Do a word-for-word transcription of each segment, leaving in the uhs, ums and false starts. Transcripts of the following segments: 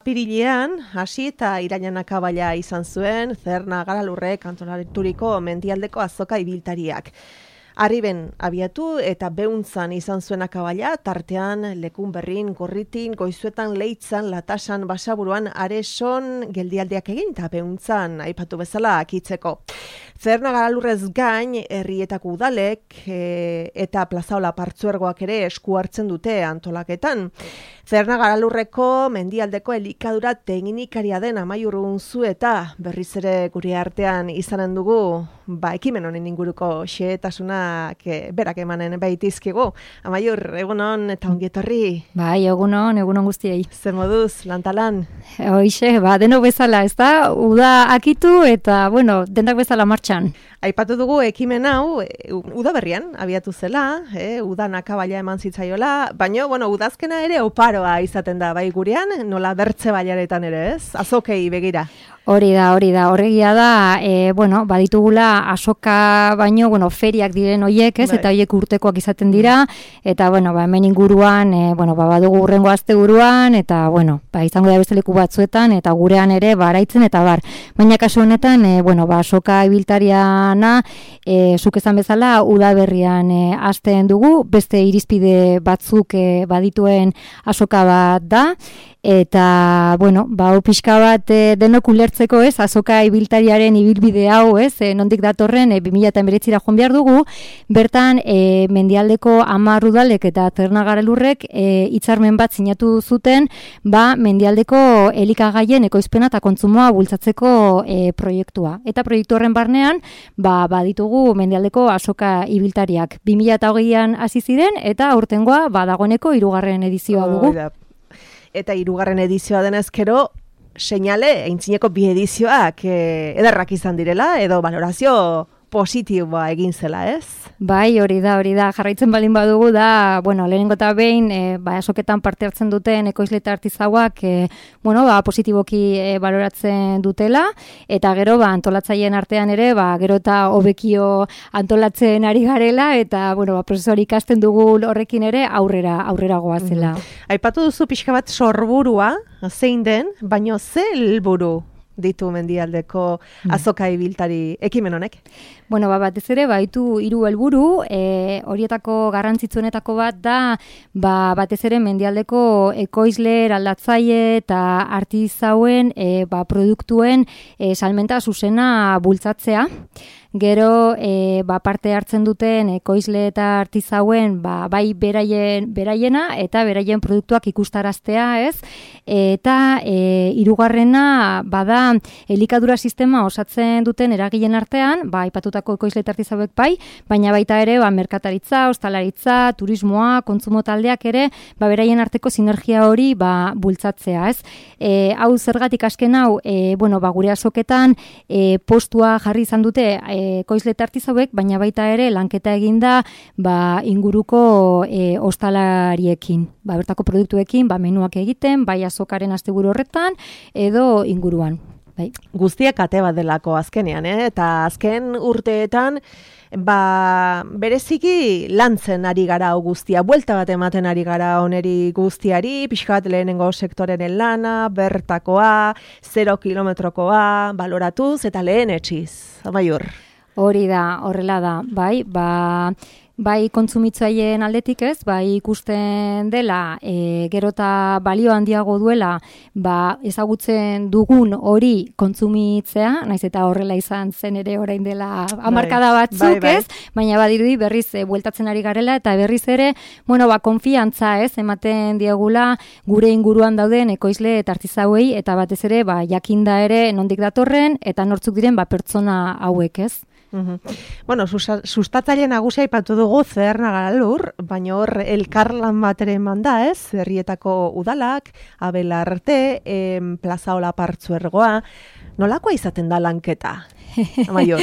apirilean, hasi eta irailean akabaila izan zuen, Zerna Garalurrek antolaturiko mendialdeko azoka ibiltariak. Arriben abiatu eta beuntzan izan zuen akabaila, tartean Lekun Berrin, Gorritin, Goizuetan, Leitzan, Latasan, Basaburuan, Areson geldialdiak egin eta beuntzan aipatu bezala akitzeko. Zerna Garalurrez gain, herrietako udalek e, eta Plazaola Partzuergoak ere esku hartzen dute antolaketan. Zerna Garalurreko mendialdeko elikadura teknikaria den Amaiur Unzueta berriz ere gure artean izanen dugu, ba, ekimen honen inguruko xehetasunak berak emanen baitizkigu. Amaiur, egunon eta ongi etorri. Bai, egunon, egunon guztiei. Zer moduz, lantalan? Hoixe, ba, denok bezala, ez da? Uda akitu eta, bueno, denak bezala martxan. Aipatu dugu ekimen hau, udaberrian abiatu zela, eh, udan akabaila eman zitzaiola, baina, bueno, udazkena ere oparoa izaten da, bai gurean, nola bertze bailaretan ere, ez? Azokei begira. Hori da, hori da, horregia da, e, bueno, baditugula asoka baino, bueno, feriak diren hoiek, ez, bai. Eta hoiek urtekoak izaten dira, eta, bueno, ba, hemen inguruan, e, bueno, ba, badugu urrengo asteburuan, eta, bueno, ba, izango da beste leku batzuetan, eta gurean ere, baraitzen, eta bar. Baina kasu honetan, e, bueno, ba, asoka ibiltariana, e, zuk esan bezala, udaberrian e, hasten dugu, beste irizpide batzuk e, badituen asoka bat da, eta, bueno, ba, pixka bat e, denok ulertzeko, ez, azoka ibiltariaren ibilbide hau, ez, e, nondik datorren, e, bi mila hemeretzira joan behar dugu, bertan, e, mendialdeko hamar udalek eta Zerna Garalurrek e, hitzarmen bat sinatu zuten, ba, mendialdeko elikagaien ekoizpena eta kontsumoa bultzatzeko e, proiektua. Eta proiektu horren barnean, ba, baditugu mendialdeko azoka ibiltariak. bi mila hogeian hasi ziren, eta aurtengoa, ba, dagoeneko hirugarren edizioa dugu. Oh, eta hirugarren edizioa denez gero, seinale, aintzineko bi edizioak eh, ederrak izan direla, edo valorazio positiboa egin zela, ez? Bai, hori da, hori da. Jarraitzen baldin badugu da, bueno, lehenengo eta behin, e, ba, asoketan parte hartzen duten ekoizle eta artizauak, e, bueno, ba, positiboki e, baloratzen dutela, eta gero, ba, antolatzaileen artean ere, ba, gero eta hobekio antolatzen ari garela, eta, bueno, ba, prozesori ikasten dugu horrekin ere aurrera, aurrera goazela. Mm-hmm. Aipatu duzu pixka bat sorburua, zein den, baino ze helburu ditu mendialdeko azoka ibiltari ekimen honek? Bueno, ba, batez ere, baitu hiru helburu, e, horietako garrantzitsuenetako bat da, ba, batez ere mendialdeko ekoizle, eraldatzaile eta artizauen e, ba, produktuen e, salmenta zuzena bultzatzea. Gero, e, ba, parte hartzen duten ekoizle eta artizauen, ba, bai beraien, beraiena eta beraien produktuak ikustaraztea, ez? Eta e, hirugarrena bada elikadura sistema osatzen duten eragileen artean, ba, aipatutako ekoizle eta artizauek bai, baina baita ere, ba, merkataritza, ostalaritza, turismoa, kontsumo taldeak ere, ba, beraien arteko sinergia hori, ba, bultzatzea, ez? E, hau zergatik asken hau, e, bueno, ba, gure azoketan e, postua jarri izan dute ekoizle eta artizauek, baina baita ere lanketa eginda, ba, inguruko e, ostalariekin, ba, bertako produktuekin, ba, menuak egiten, bai azokaren asteburu horretan edo inguruan. Bai. Guztiak ate bat delako azkenean, eh? Eta azken urteetan, ba, bereziki lantzen ari gara guztia, buelta bat ematen ari gara oneri guztiari, pixka bat lehenengo sektorenen lana, bertakoa, zero kilometrokoa, baloratuz eta lehen etxiz, Amaiur. Hori da, horrela da, bai, ba... Bai kontsumitzaileen aldetik ez, bai ikusten dela, e, gero eta balio handiago duela, ba, ezagutzen dugun hori kontsumitzea, naiz eta horrela izan zen ere orain dela hamarkada batzuk, bai, bai, bai. Ez, baina badirudi berriz e, bueltatzen ari garela, eta berriz ere, bueno, ba, konfiantza ez, ematen diegula gure inguruan dauden ekoizle eta artizauei, eta batez ere, ba, jakinda ere nondik datorren, eta nortzuk diren, ba, pertsona hauek ez. Uhum. Bueno, sustatzaile nagusia aipatu dugu Zerna Garalur, baina hor elkarlan bat ere eman da, ez? Herrietako udalak, Abelarte, em, Plazaola Partzuergoa. Nolakoa izaten da lanketa? Amaior.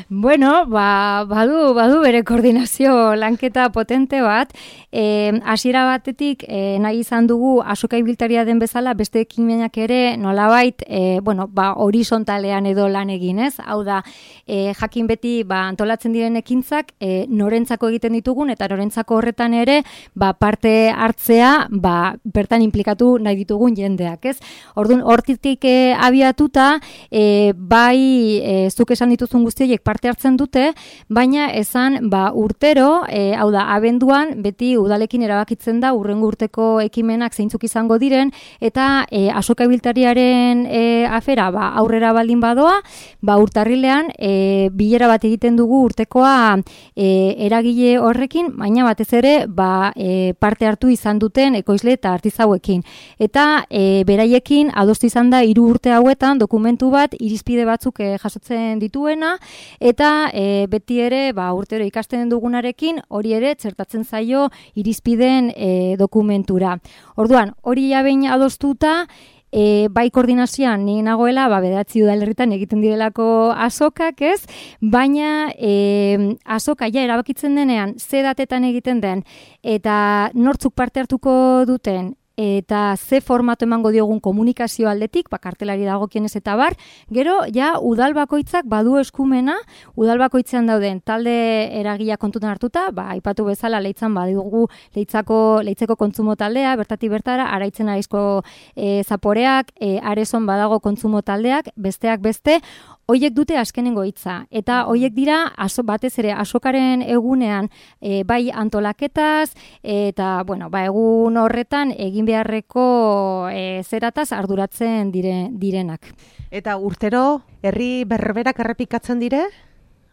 Bueno, ba, badu, badu bere koordinazio lanketa potente bat. E, hasiera batetik e, nahi izan dugu azoka ibiltaria den bezala beste ekimenak ere nolabait e, bueno, ba, horizontalean edo lan egin, ez? Hau da, e, jakin beti ba, antolatzen diren ekintzak e, norentzako egiten ditugun eta norentzako horretan ere ba, parte hartzea ba, bertan implikatu nahi ditugun jendeak, ez? Orduan, hortik e, abiatuta e, bai e, zuk esan dituzun guztiek parte hartzen dute, baina esan ba, urtero, e, hau da, abenduan beti udalekin erabakitzen da urrengo urteko ekimenak zeintzuk izango diren, eta e, azoka ibiltariaren e, afera ba, aurrera baldin badoa, ba, urtarrilean e, bilera bat egiten dugu urtekoa e, eragile horrekin, baina batez ere ba, e, parte hartu izan duten ekoizle eta artizauekin. Eta e, beraiekin adostu izan da hiru urte hauetan dokumentu bat irizpide batzuk e, jasotzen dituena, eta e, beti ere ba, urtero ikasten dugunarekin hori ere txertatzen zaio irizpideen e, dokumentura. Orduan, hori ja behin adostuta, E, bai koordinazioan ni nagoela, ba, bederatzi udalerritan egiten direlako azokak, ez? Baina e, azoka ja erabakitzen denean, ze datetan egiten den, eta nortzuk parte hartuko duten, eta ze formato emango diogun komunikazio aldetik, ba, kartelari dagokienez eta bar, gero, ja, udal bakoitzak badu eskumena, udal bakoitzean dauden talde eragila kontutan hartuta, ba, aipatu bezala leitzan badugu leitzako, leitzeko kontsumo taldea, bertatik bertara, araitzen araizko e, zaporeak, e, arezon badago kontsumo taldeak, besteak beste, hoiek dute azkenengo hitza, eta hoiek dira aso, batez ere azokaren egunean e, bai antolaketaz, eta bueno, ba, egun horretan egin beharreko e, zerataz arduratzen dire, direnak. Eta urtero herri berberak errepikatzen dire?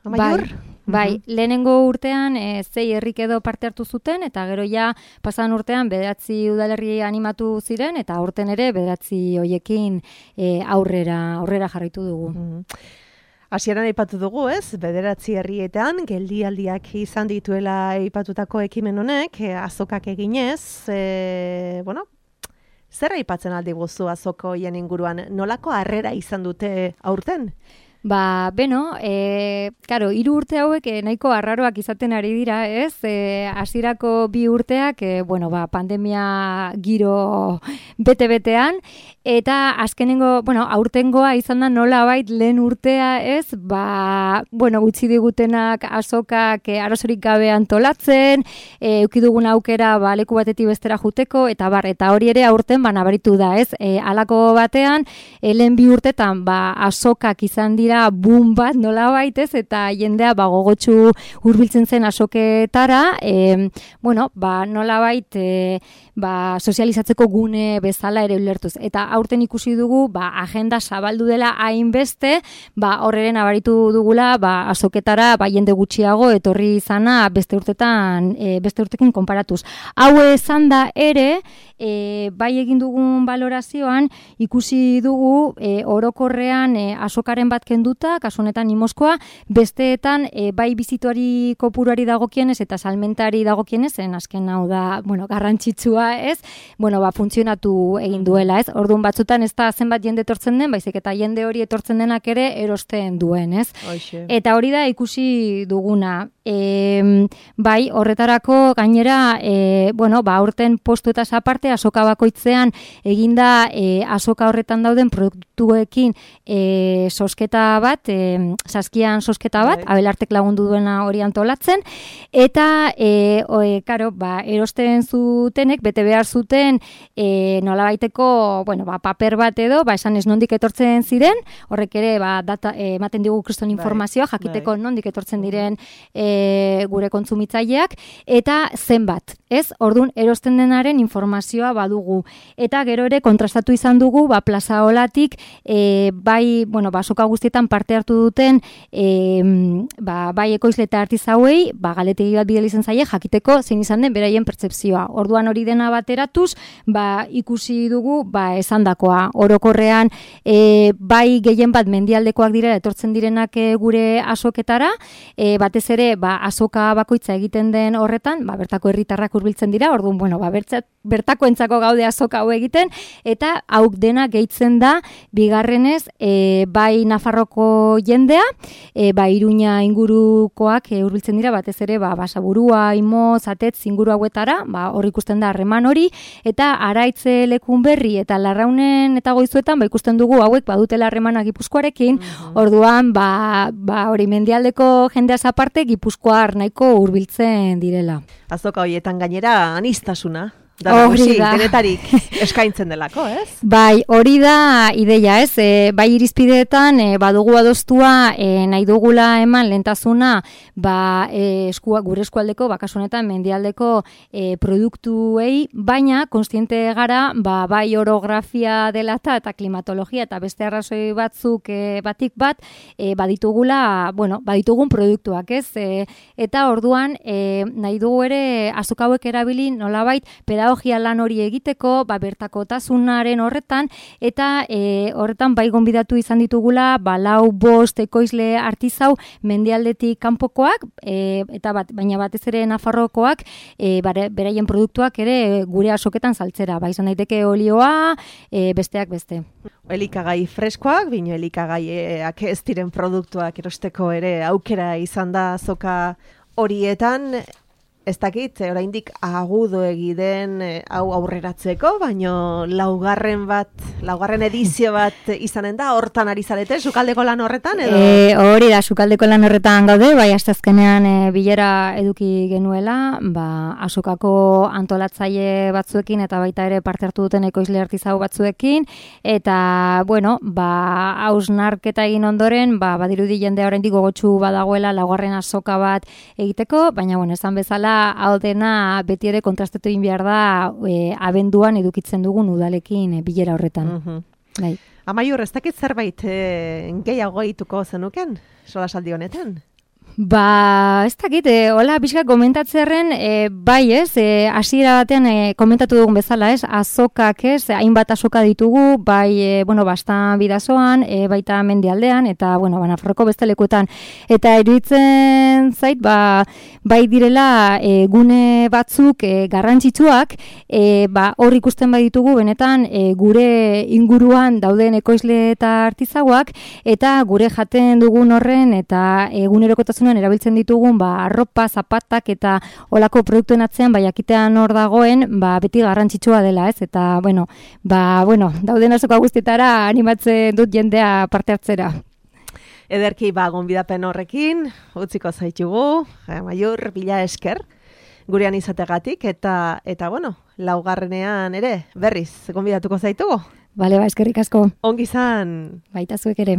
Amaiur? Bai. Bai, lehenengo urtean e, zei herrik edo parte hartu zuten, eta gero ja pasan urtean bederatzi udalerri animatu ziren, eta aurten ere bederatzi hoiekin e, aurrera, aurrera jarraitu dugu. Mm. Hasieran aipatu dugu, ez? Bederatzi herrietan geldialdiak izan dituela aipatutako ekimen honek, e, azokak eginez, e, bueno, zer aipatzen aldi guzu azoko hien inguruan, nolako harrera izan dute aurten? Ba, beno, e, karo, hiru urte hauek e, nahiko arraroak izaten ari dira, ez? E, hasierako bi urteak, e, bueno, ba, pandemia giro bete-betean, eta azkenengo, bueno, aurtengoa izan da nola bait lehen urtea, ez? Ba, bueno, utzi digutenak azokak e, arazorik gabe antolatzen, e, eukidugun aukera, ba, leku batetik bestera juteko, eta bar, eta hori ere aurten, ba, nabaritu da, ez? E, halako batean, e, lehen bi urtetan, ba, azokak izan dira boom bat nola baitez, eta jendea ba, gogotsu hurbiltzen zen azoketara, e, bueno, ba, nola bait, e, ba, sozializatzeko gune bezala ere ulertuz. Eta aurten ikusi dugu, ba, agenda zabaldu dela hainbeste, ba, horreren abaritu dugula, ba, azoketara, ba, jende gutxiago etorri izana beste urtetan, e, beste urtekin konparatuz. Hau esan da ere, e, bai egin dugun valorazioan, ikusi dugu, e, orokorrean e, azokaren bat kenduta, kasu honetan Imoskoa, besteetan e, bai bizituari kopuruari dagokienez eta salmentari dagokienez, zen azken hau da, bueno, garrantzitsua, ez? Bueno, ba, funtzionatu egin duela, ez? Orduan batzutan ez da zenbat jende etortzen den, baizik eta jende hori etortzen denak ere erosten duen, ez? Oixe. Eta hori da ikusi duguna. E, bai, horretarako gainera, e, bueno, ba, aurten postu eta aparte azoka bakoitzean eginda e, azoka horretan dauden produktuekin e, sosketa bat, e, saskian sosketa bat, Bai. Abelartek lagundu duena hori antolatzen, eta e, oe, karo, ba, erosten zutenek, bete behar zuten e, nolabaiteko, bueno, ba, paper bat edo, ba, esan ez nondik etortzen ziren, horrek ere, ba, data, e, ematen digu kriston informazioa, Bai. jakiteko Bai. nondik etortzen diren e, gure kontsumitzaileak, eta zenbat, ez? Orduan, erosten denaren informazioa badugu. Eta gero ere kontrastatu izan dugu, ba, plaza olatik, e, bai, bueno, ba, azoka guztietan parte hartu duten, e, ba, bai ekoizle eta artizauei, ba, galetegi bat bideli izan zaie, jakiteko zein izan den beraien pertzepzioa. Orduan hori dena bateratuz, ba, ikusi dugu, ba, esandakoa. Orokorrean, e, bai gehien bat mendialdekoak dira etortzen direnak e, gure azoketara, e, batez ere, ba, azoka bakoitza egiten den horretan, ba, bertako herritarrak hurbiltzen dira, orduan, bueno, ba, bertzat, bertakoentzako gaude azoka hau egiten, eta hauk dena gehitzen da, bigarrenez, e, bai Nafarroko jendea, e, bai Iruña ingurukoak e, hurbiltzen dira, batez ere, ba, Basaburua, Imo, Zatetz inguru hauetara, ba, hor ikusten da harreman hori, eta Araitze lekun berri eta Larraunen eta Goizuetan, ba, ikusten dugu hauek badutela harremana Gipuzkoarekin, mm-hmm. Orduan, ba, ba, hori mendialdeko jendeaz aparte, Gipuzkoar nahiko hurbiltzen direla. Azoka horietan gainera anistasuna. Da, hori da. Denetarik eskaintzen delako, ez? Bai, hori da ideia, ez? E, bai irizpideetan, e, badugu adostua, e, nahi dugula eman lehentasuna, ba, e, eskua, gure eskualdeko, bakasunetan, mendialdeko e, produktuei, baina, konstiente gara, ba, bai orografia dela eta klimatologia eta beste arrazoi batzuk e, batik bat, e, baditugula, bueno, baditugun produktuak, ez? E, eta orduan, e, nahi dugu ere, azoka hauek erabili, nolabait, pedagogia lan hori egiteko, ba, bertakotasunaren horretan, eta e, horretan bai gonbidatu izan ditugula, ba, lau bost ekoizle artizau mendialdetik kanpokoak, e, eta bat, baina batez ere Nafarrokoak, e, bare, beraien produktuak ere gure azoketan saltzera, ba, izan daiteke olioa, e, besteak beste. Elikagai freskoak, bino elikagaiak ez diren produktuak erosteko ere aukera izan da azoka horietan. Ez dakit, oraindik agudo egiden hau aurreratzeko, baino laugarren bat, laugarren edizio bat izanen da, hortan ari zarete, sukaldeko lan horretan, edo? E, hori da, sukaldeko lan horretan gaude, bai, astezkenean e, bilera eduki genuela, ba, azokako antolatzaile batzuekin, eta baita ere parte hartu duten ekoizle artizau batzuekin, eta, bueno, ba, hausnarketa egin ondoren, ba, badirudi jendea oraindik gogotsu badagoela laugarren azoka bat egiteko, baina, bueno, esan bezala, hau dena beti ere kontrastatu egin behar da e, abenduan edukitzen dugun udalekin e, bilera horretan. Mm-hmm. Bai. Amaiur, ez dakit zerbait e, gehiago egituko zenuken, solasaldi honetan? Ba, ez dakit, e, hola, pixka komentatzearen, e, bai ez, e, hasiera batean e, komentatu dugun bezala ez, azokak ez, hainbat azoka ditugu, bai, e, bueno, bastan bidazoan, e, baita mendialdean, eta, bueno, Nafarroko beste lekuetan. Eta iruditzen zait, ba, bai direla e, gune batzuk e, garrantzitsuak, e, ba, hor ikusten bai ditugu, benetan, e, gure inguruan dauden ekoizle eta artizauak, eta gure jaten dugun horren, eta egunerokotasunen erabiltzen ditugun ba arropa, zapatak eta olako produktuen atzean bai jakitean hor dagoen, ba beti garrantzitsua dela, ez? Eta bueno, ba bueno, dauden azoka guztietara animatzen dut jendea parte hartzera. Ederki ba gonbidapen horrekin utziko zaitugu, Amaiur, bila esker gurean izategatik eta eta bueno, laugarrenean ere berriz gonbidatuko zaitugu. Bale, ba eskerrik asko. Ongi izan. Baita zuek ere.